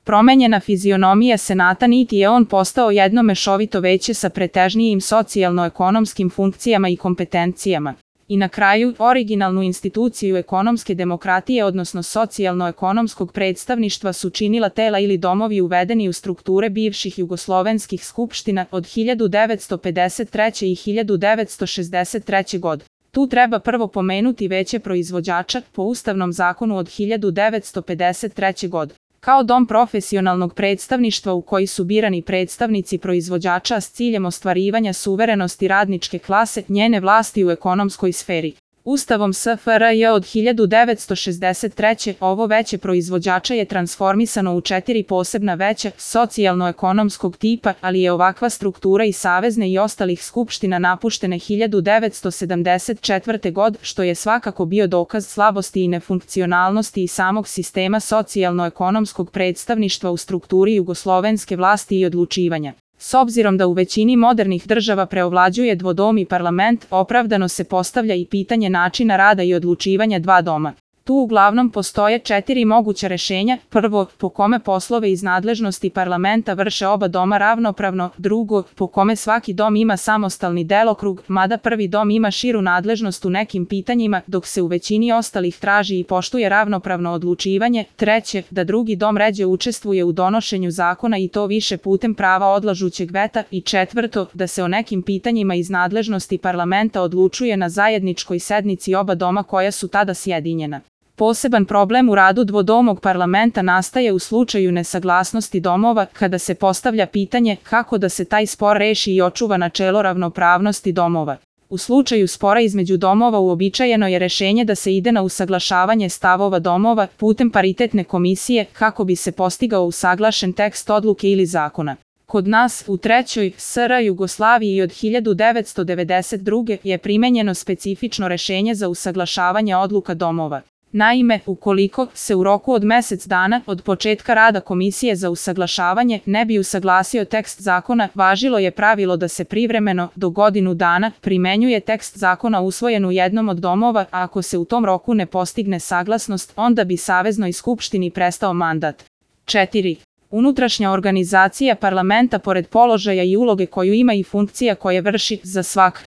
Promenjena fizionomija Senata niti je on postao jedno mešovito veće sa pretežnijim socijalno-ekonomskim funkcijama i kompetencijama. I na kraju, originalnu instituciju ekonomske demokratije odnosno socijalno-ekonomskog predstavništva su činila tela ili domovi uvedeni u strukture bivših jugoslovenskih skupština od 1953. i 1963. godine. Tu treba prvo pomenuti veće proizvođača po Ustavnom zakonu od 1953. godine. Kao dom profesionalnog predstavništva u koji su birani predstavnici proizvođača s ciljem ostvarivanja suverenosti radničke klase, njene vlasti u ekonomskoj sferi. Ustavom SFRJ od 1963. ovo veće proizvođača je transformisano u 4 posebna veća socijalno-ekonomskog tipa, ali je ovakva struktura i savezne i ostalih skupština napuštene 1974. godine, što je svakako bio dokaz slabosti i nefunkcionalnosti i samog sistema socijalno-ekonomskog predstavništva u strukturi jugoslovenske vlasti i odlučivanja. S obzirom da u većini modernih država preovlađuje dvodom i parlament, opravdano se postavlja i pitanje načina rada i odlučivanja dva doma. Tu uglavnom postoje 4 moguća rešenja. Prvo, po kome poslove iz nadležnosti parlamenta vrše oba doma ravnopravno. Drugo, po kome svaki dom ima samostalni delokrug, mada prvi dom ima širu nadležnost u nekim pitanjima, dok se u većini ostalih traži i poštuje ravnopravno odlučivanje. Treće, da drugi dom ređe učestvuje u donošenju zakona i to više putem prava odlažućeg veta. I četvrto, da se o nekim pitanjima iz nadležnosti parlamenta odlučuje na zajedničkoj sednici oba doma koja su tada sjedinjena. Poseban problem u radu dvodomog parlamenta nastaje u slučaju nesaglasnosti domova, kada se postavlja pitanje kako da se taj spor reši i očuva načelo ravnopravnosti domova. U slučaju spora između domova uobičajeno je rešenje da se ide na usaglašavanje stavova domova putem paritetne komisije kako bi se postigao usaglašen tekst odluke ili zakona. Kod nas, u trećoj SR Jugoslaviji od 1992. je primenjeno specifično rešenje za usaglašavanje odluka domova. Naime, ukoliko se u roku od mesec dana od početka rada komisije za usaglašavanje ne bi usaglasio tekst zakona, važilo je pravilo da se privremeno, do godinu dana, primenjuje tekst zakona usvojen u jednom od domova, a ako se u tom roku ne postigne saglasnost, onda bi Saveznoj skupštini prestao mandat. 4. Unutrašnja organizacija parlamenta pored položaja i uloge koju ima i funkcija koje vrši, za svak